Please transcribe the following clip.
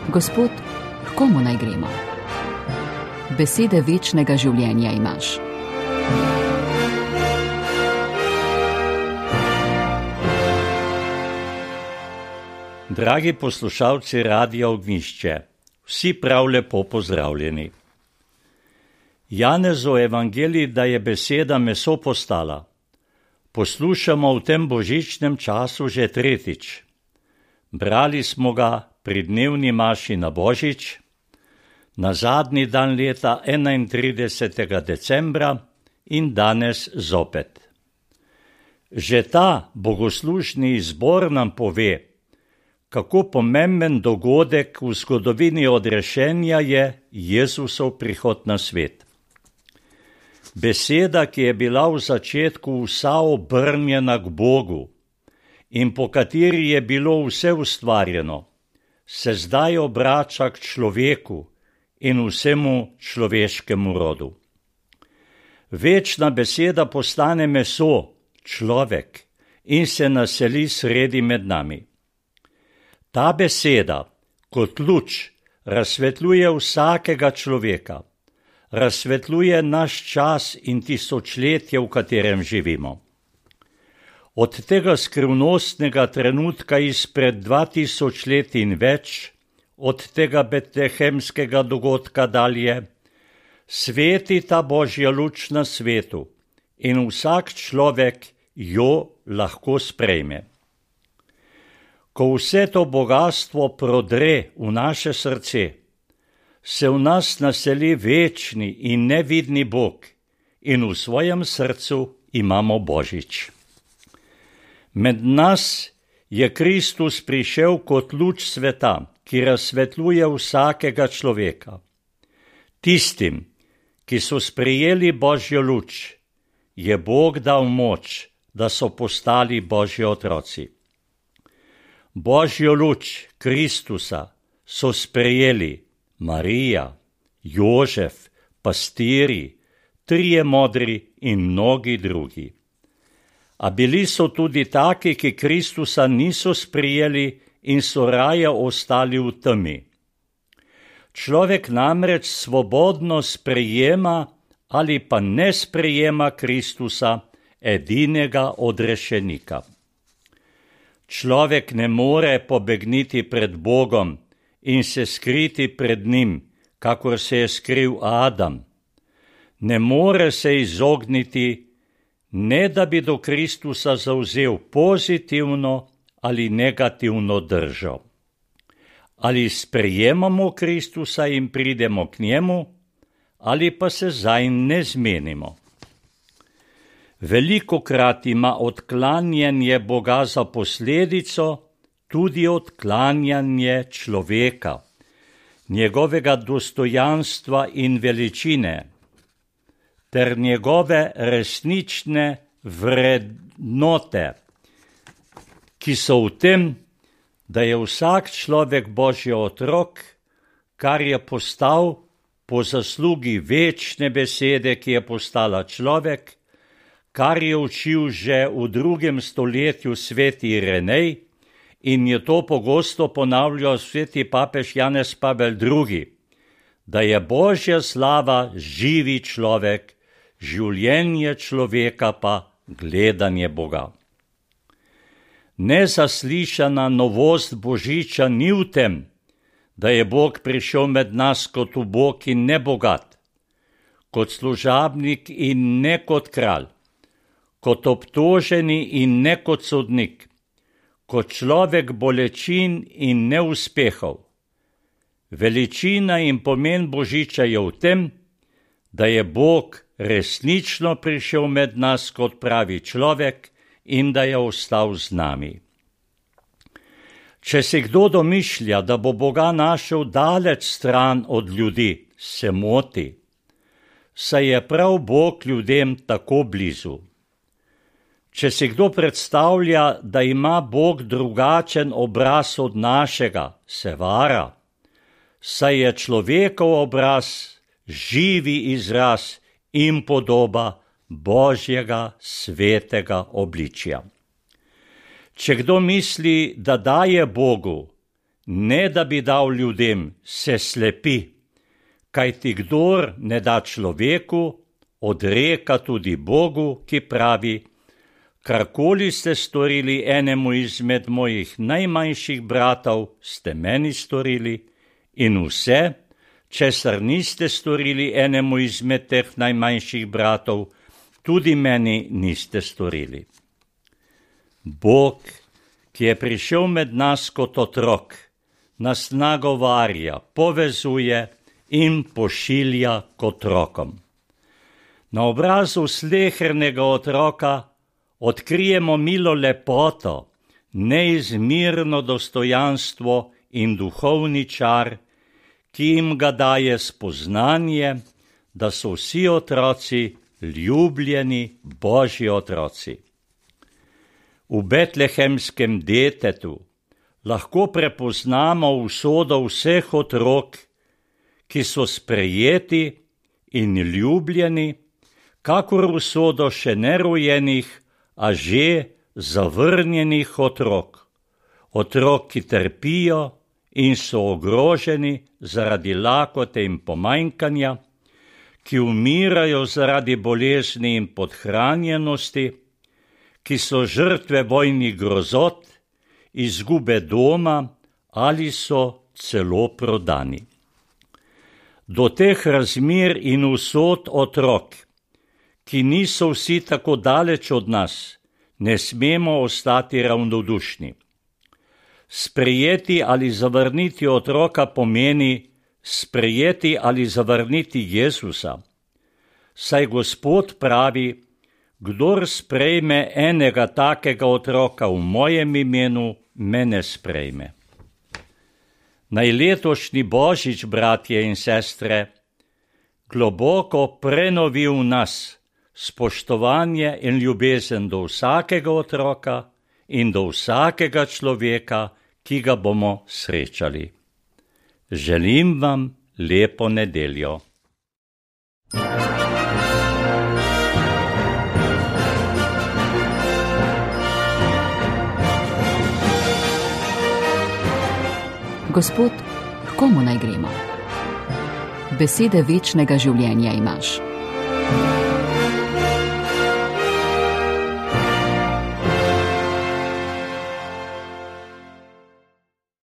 Gospod, h komu naj gremo? Besede večnega življenja imaš. Dragi poslušalci Radia Ognjišče, vsi prav lepo pozdravljeni. Janezov evangelij, da je beseda meso postala, poslušamo v tem božičnem času že tretjič. Brali smo ga pri dnevni maši na Božič, na zadnji dan leta 31. decembra in danes zopet. Že ta bogoslužni izbor nam pove, kako pomemben dogodek v zgodovini odrešenja je Jezusov prihod na svet. Beseda, ki je bila v začetku vsa obrnjena k Bogu in po kateri je bilo vse ustvarjeno, se zdaj obrača k človeku in vsemu človeškemu rodu. Večna beseda postane meso, človek, in se naseli sredi med nami. Ta beseda, kot luč, razsvetljuje vsakega človeka, razsvetljuje naš čas in tisočletje, v katerem živimo. Od tega skrivnostnega trenutka izpred 2000 let in več, od tega betlehemskega dogodka dalje, sveti ta Božja luč na svetu in vsak človek jo lahko sprejme. Ko vse to bogatstvo prodre v naše srce, se v nas naseli večni in nevidni Bog in v svojem srcu imamo Božič. Med nas je Kristus prišel kot luč sveta, ki razsvetljuje vsakega človeka. Tistim, ki so sprejeli Božjo luč, je Bog dal moč, da so postali Božji otroci. Božjo luč Kristusa so sprejeli Marija, Jožef, pastiri, trije modri in mnogi drugi. A bili so tudi taki, ki Kristusa niso sprejeli in so raje ostali v temi. Človek namreč svobodno sprejema ali pa ne sprejema Kristusa, edinega odrešenika. Človek ne more pobegniti pred Bogom in se skriti pred njim, kakor se je skril Adam. Ne more se izogniti, ne da bi do Kristusa zavzel pozitivno ali negativno držo. Ali sprejemamo Kristusa in pridemo k njemu, ali pa se zanj ne zmenimo. Velikokrat ima odklanjanje Boga za posledico tudi odklanjanje človeka, njegovega dostojanstva in veličine, ter njegove resnične vrednote, ki so v tem, da je vsak človek Božji otrok, kar je postal po zaslugi večne besede, ki je postala človek, kar je učil že v 2. stoletju sveti Irenej in je to pogosto ponavljal sveti papež Janez Pavel II., da je Božja slava živi človek, življenje človeka pa gledanje Boga. Nezaslišana novost Božiča ni v tem, da je Bog prišel med nas kot ubog in nebogat, kot služabnik in ne kot kralj, kot obtoženi in ne kot sodnik, kot človek bolečin in neuspehov. Veličina in pomen Božiča je v tem, da je Bog resnično prišel med nas kot pravi človek in da je ostal z nami. Če si kdo domišlja, da bo Boga našel daleč stran od ljudi, se moti, saj je prav Bog ljudem tako blizu. Če si kdo predstavlja, da ima Bog drugačen obraz od našega, se vara, saj je človekov obraz živi izraz in podoba Božjega svetega obličja. Če kdo misli, da daje Bogu, ne da bi dal ljudem, se slepi, kajti kdor ne da človeku, odreka tudi Bogu, ki pravi: karkoli ste storili enemu izmed mojih najmanjših bratov, ste meni storili, in vse, česar niste storili enemu izmed teh najmanjših bratov, tudi meni niste storili. Bog, ki je prišel med nas kot otrok, nas nagovarja, povezuje in pošilja k otrokom. Na obrazu slehernega otroka odkrijemo milo lepoto, neizmirno dostojanstvo in duhovni čar, ki jim ga daje spoznanje, da so vsi otroci ljubljeni Božji otroci. V betlehemskem detetu lahko prepoznamo usodo vseh otrok, ki so sprejeti in ljubljeni, kakor usodo še nerojenih, a že zavrnjenih otrok, ki trpijo in so ogroženi zaradi lakote in pomanjkanja, ki umirajo zaradi bolezni in podhranjenosti, ki so žrtve vojnih grozot, izgube doma ali so celo prodani. Do teh razmer in usod otrok, ki niso vsi tako daleč od nas, ne smemo ostati ravnodušni. Sprejeti ali zavrniti otroka pomeni sprejeti ali zavrniti Jezusa. Saj Gospod pravi: kdor sprejme enega takega otroka v mojem imenu, mene sprejme. Naj letošnji Božič, bratje in sestre, globoko prenovi v nas spoštovanje in ljubezen do vsakega otroka in do vsakega človeka, ki ga bomo srečali. Želim vam lepo nedeljo. Gospod, h komu naj gremo? Besede večnega življenja imaš.